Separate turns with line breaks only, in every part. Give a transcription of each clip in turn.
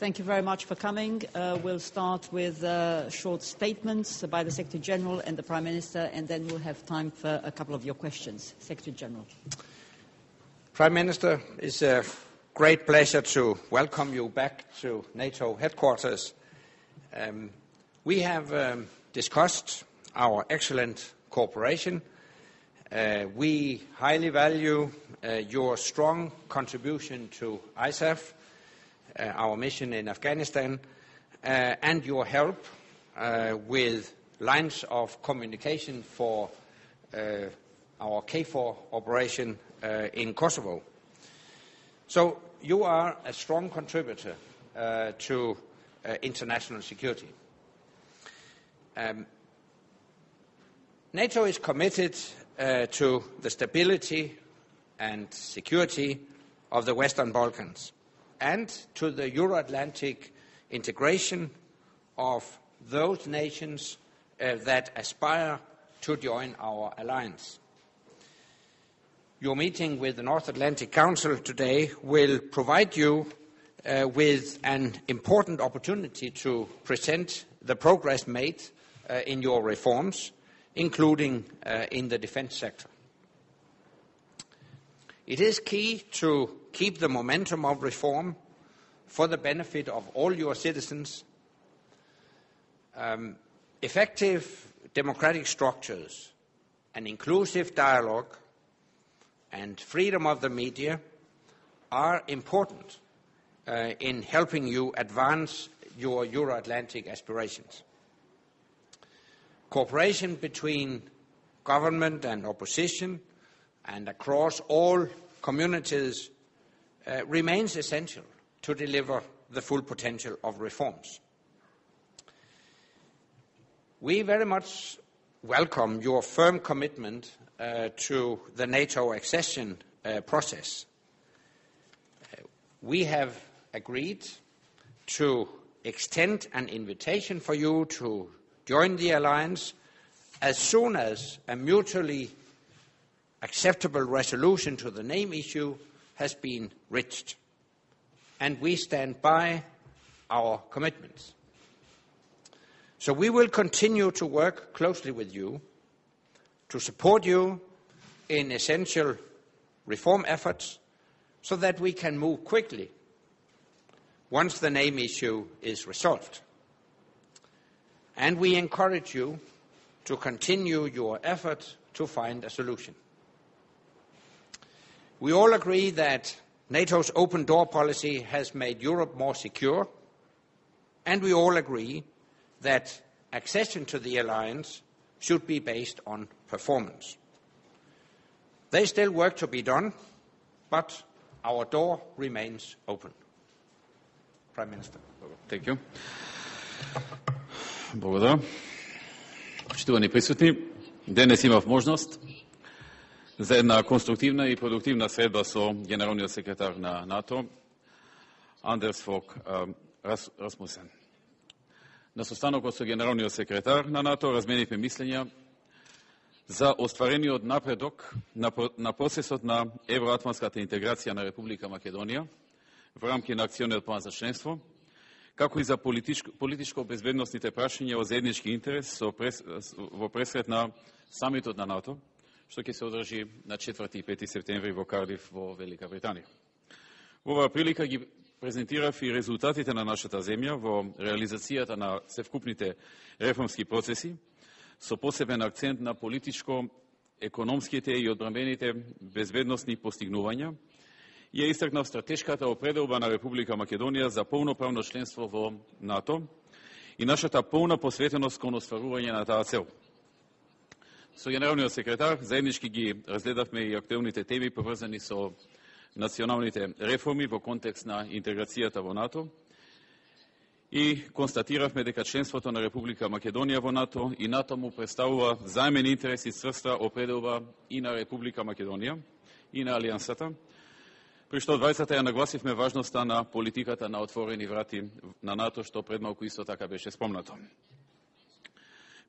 Thank you very much for coming. We'll start with short statements by the Secretary General and the Prime Minister, and then we'll have time for a couple of your questions. Secretary General.
Prime Minister, it's a great pleasure to welcome you back to NATO headquarters. We have discussed our excellent cooperation. We highly value your strong contribution to ISAF, our mission in Afghanistan, and your help with lines of communication for our KFOR operation in Kosovo. So you are a strong contributor to international security. NATO is committed to the stability and security of the Western Balkans and to the Euro-Atlantic integration of those nations that aspire to join our alliance. Your meeting with the North Atlantic Council today will provide you with an important opportunity to present the progress made in your reforms, including in the defense sector. It is key to keep the momentum of reform for the benefit of all your citizens. Effective democratic structures, an inclusive dialogue, and freedom of the media are important in helping you advance your Euro-Atlantic aspirations. Cooperation between government and opposition and across all communities remains essential to deliver the full potential of reforms. We very much welcome your firm commitment to the NATO accession process. We have agreed to extend an invitation for you to join the alliance as soon as a mutually acceptable resolution to the name issue has been reached. And we stand by our commitments. So we will continue to work closely with you to support you in essential reform efforts so that we can move quickly once the name issue is resolved. And we encourage you to continue your effort to find a solution. We all agree that NATO's open door policy has made Europe more secure, and we all agree that accession to the alliance should be based on performance. There is still work to be done, but our door remains open. Prime Minister.
Thank you. Благодарам. Почитувани присутни, денес имав можност за една конструктивна и продуктивна средба со генералниот секретар на НАТО, Андерс Фог Расмусен. На состанокот со генералниот секретар на НАТО разменивме мислења за остварениот напредок на процесот на евроатлантската интеграција на Република Македонија во рамки на акциониот план за членство, како и за политичко-безбедносните прашања во заеднички интерес во пресрет на самитот на НАТО, што ќе се одржи на 4 и 5 септември во Кардиф во Велика Британија. Во оваа прилика ги презентирав и резултатите на нашата земја во реализацијата на севкупните реформски процеси, со посебен акцент на политичко-економските и одбранбените безбедносни постигнувања, ја истакнав стратешката определба на Република Македонија за полноправно членство во НАТО и нашата полна посветеност кон остварување на таа цел. Со генералниот секретар заеднички ги разгледавме и актуелните теми поврзани со националните реформи во контекст на интеграцијата во НАТО и констатиравме дека членството на Република Македонија во НАТО и НАТО му представува заемен интерес и цврста определба и на Република Македонија и на Алијансата, при што двајцата ја нагласивме важноста на политиката на отворени врати на НАТО, што пред малку исто така беше спомнато.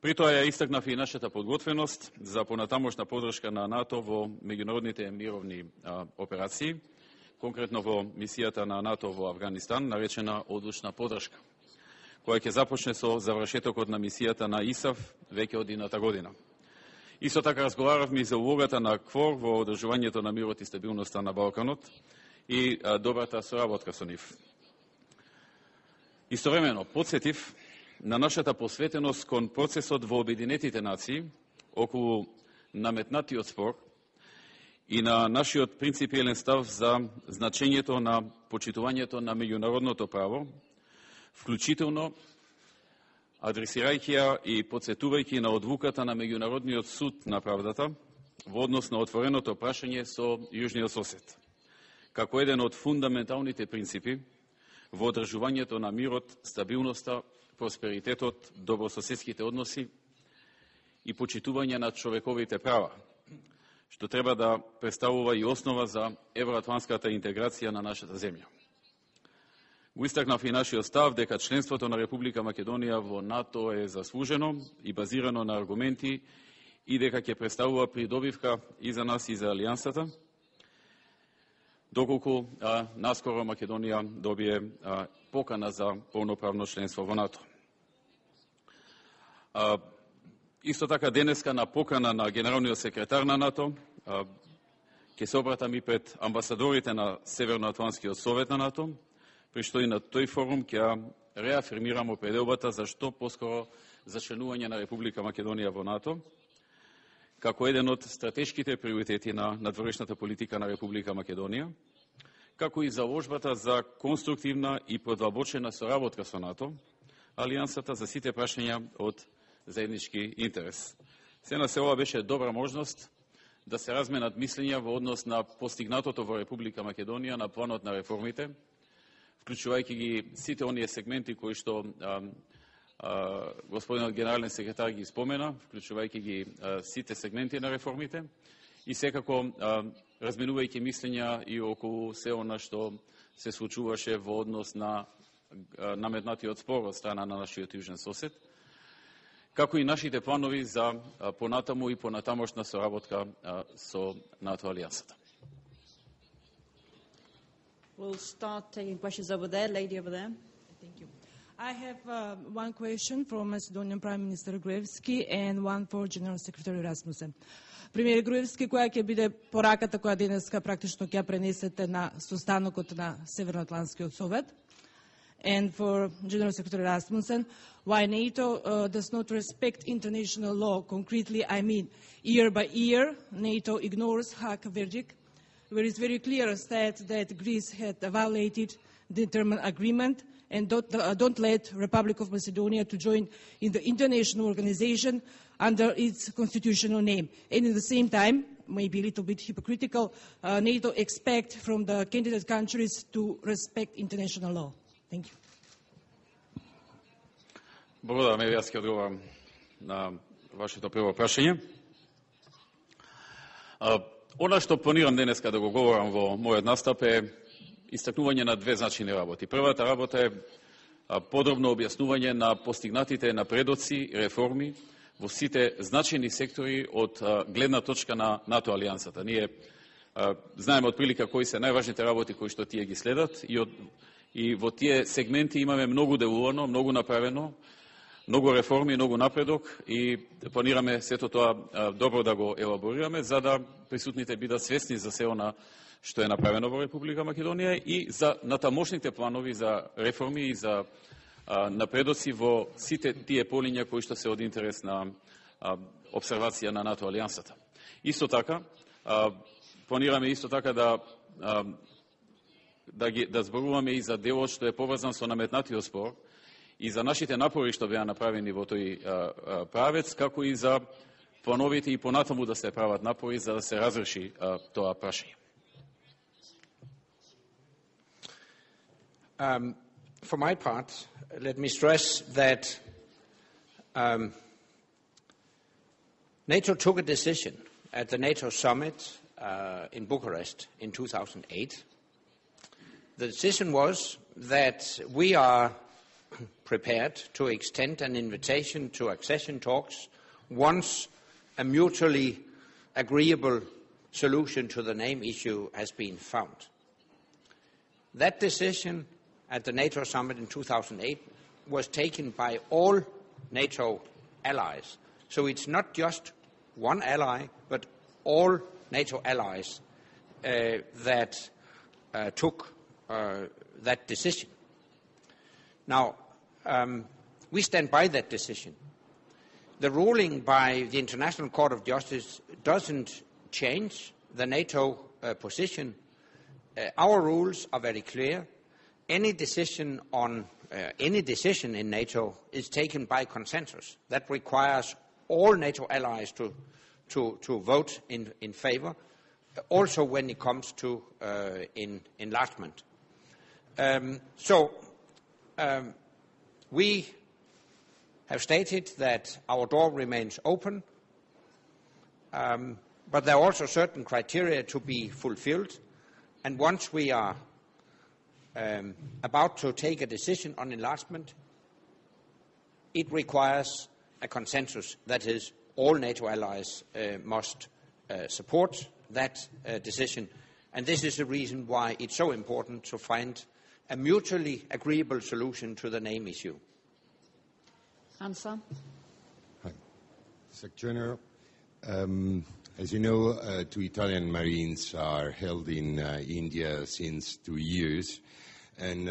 При тоа ја истакнав и нашата подготвеност за понатамошна поддршка на НАТО во меѓународните мировни операции, конкретно во мисијата на НАТО во Авганистан, наречена одлучна подршка, која ќе започне со завршетокот на мисијата на ИСАФ веќе од идната година. Исто така разговаравме и за улогата на КФОР во одржувањето на мирот и стабилноста на Балканот и добрата соработка со нив. Истовремено, подсетив на нашата посветеност кон процесот во Обединетите нации околу наметнатиот спор и на нашиот принципиелен став за значењето на почитувањето на меѓународното право, вклучително адресирајќи ја и подсетувајќи на одлуката на Меѓународниот суд на правдата во однос на отвореното прашање со јужниот сосед, како еден од фундаменталните принципи во одржувањето на мирот, стабилноста, просперитетот, добрососедските односи и почитување на човековите права, што треба да представува и основа за евроатлантската интеграција на нашата земја. Го истакнав и нашиот став дека членството на Република Македонија во НАТО е заслужено и базирано на аргументи и дека ќе представува придобивка и за нас и за Алијансата, доколку наскоро Македонија добие покана за полноправно членство во НАТО. Исто така денеска на покана на генералниот секретар на НАТО ќе се обратам и пред амбасадорите на Северноатлантскиот совет на НАТО, при што и на тој форум ќе реафирмирам определбата за што поскоро за членување на Република Македонија во НАТО, како еден од стратешките приоритети на надворешната политика на Република Македонија, како и заложбата за конструктивна и продлабочена соработка со НАТО, Алијансата за сите прашања од заеднички интерес. Се на се ова беше добра можност да се разменат мислења во однос на постигнатото во Република Македонија на планот на реформите, вклучувајќи ги сите оние сегменти кои што господинот генерален секретар ги спомена, вклучувајќи ги сите сегменти на реформите и секако разменувајќи мислења и околу се она што се случуваше во однос на наметнатиот спор од страна на нашиот јужен сосед, како и нашите планови за понатаму и понатамошна соработка со НАТО Алијансата.
We'll start taking questions over there. Lady over there.
Thank you. I have one question for Macedonian Prime Minister Gruevski and one for General Secretary Rasmussen. Премиер Груевски, која ќе биде пораката која денеска практично ќе пренесете на состанокот на Северноатлантскиот совет? And for General Secretary Rasmussen, why NATO does not respect international law? Concretely, I mean, year by year, NATO ignores Hague verdict, where it's very clear stated that Greece had violated the internal agreement and don't let Republic of Macedonia to join in the international organization under its constitutional name. And at the same time, maybe a little bit hypocritical, NATO expect from the candidate countries to respect international law. Thank you.
Благодарам, јас ќе одговорам на вашето прво прашање. Она што планирам денеска да го говорам во мојот настап е истакнување на две значајни работи. Првата работа е подробно објаснување на постигнатите напредоци, реформи во сите значајни сектори од гледна точка на НАТО Алијансата. Ние знаеме отприлика кои се најважните работи кои што тие ги следат и во тие сегменти имаме многу делувано, многу направено, многу реформи, многу напредок и планираме сето тоа добро да го елаборираме за да присутните бидат свесни за се она што е направено во Република Македонија и за натамошните планови за реформи и за напредоци во сите тие полиња кои што се од интерес на обсервација на НАТО Алијансата. Исто така, планираме исто така да зборуваме и за делот што е поврзан со наметнатиот спор и за нашите напори што беа направени во тој правец, како и за плановите и понатаму да се прават напори за да се разреши тоа прашање.
For my part, let me stress that NATO took a decision at the NATO summit in Bucharest in 2008. The decision was that we are prepared to extend an invitation to accession talks once a mutually agreeable solution to the name issue has been found. That decision at the NATO summit in 2008 was taken by all NATO allies. So it's not just one ally, but all NATO allies that took that decision. Now, we stand by that decision. The ruling by the International Court of Justice doesn't change the NATO position. Our rules are very clear. Any decision in NATO is taken by consensus. That requires all NATO allies to vote in favor, also when it comes to enlargement. We have stated that our door remains open, but there are also certain criteria to be fulfilled, and once we are about to take a decision on enlargement, it requires a consensus. That is, all NATO allies must support that decision, and this is the reason why it's so important to find a mutually agreeable solution to the name issue.
Answer.
Hi. Secretary General, as you know, 2 Italian Marines are held in India since 2 years, and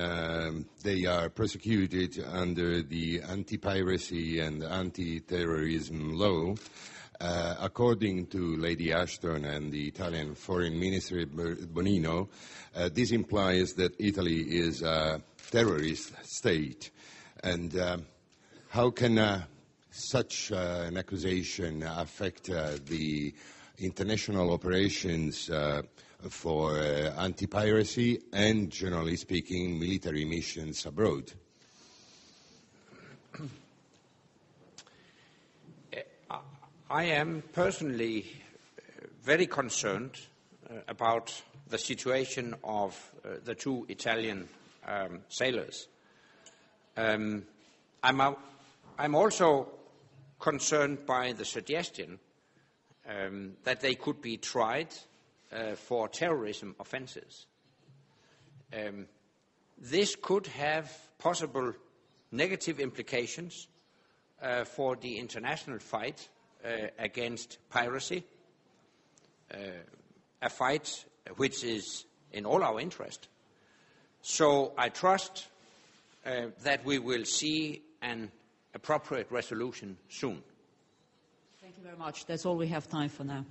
they are prosecuted under the anti-piracy and anti-terrorism law. According to Lady Ashton and the Italian Foreign Minister Bonino, this implies that Italy is a terrorist state. And how can such an accusation affect the international operations for anti-piracy and, generally speaking, military missions abroad?
I am personally very concerned about the situation of the 2 Italian sailors. I'm also concerned by the suggestion that they could be tried for terrorism offences. This could have possible negative implications for the international fight against piracy, a fight which is in all our interest. So I trust that we will see an appropriate resolution soon.
Thank you very much. That's all we have time for now.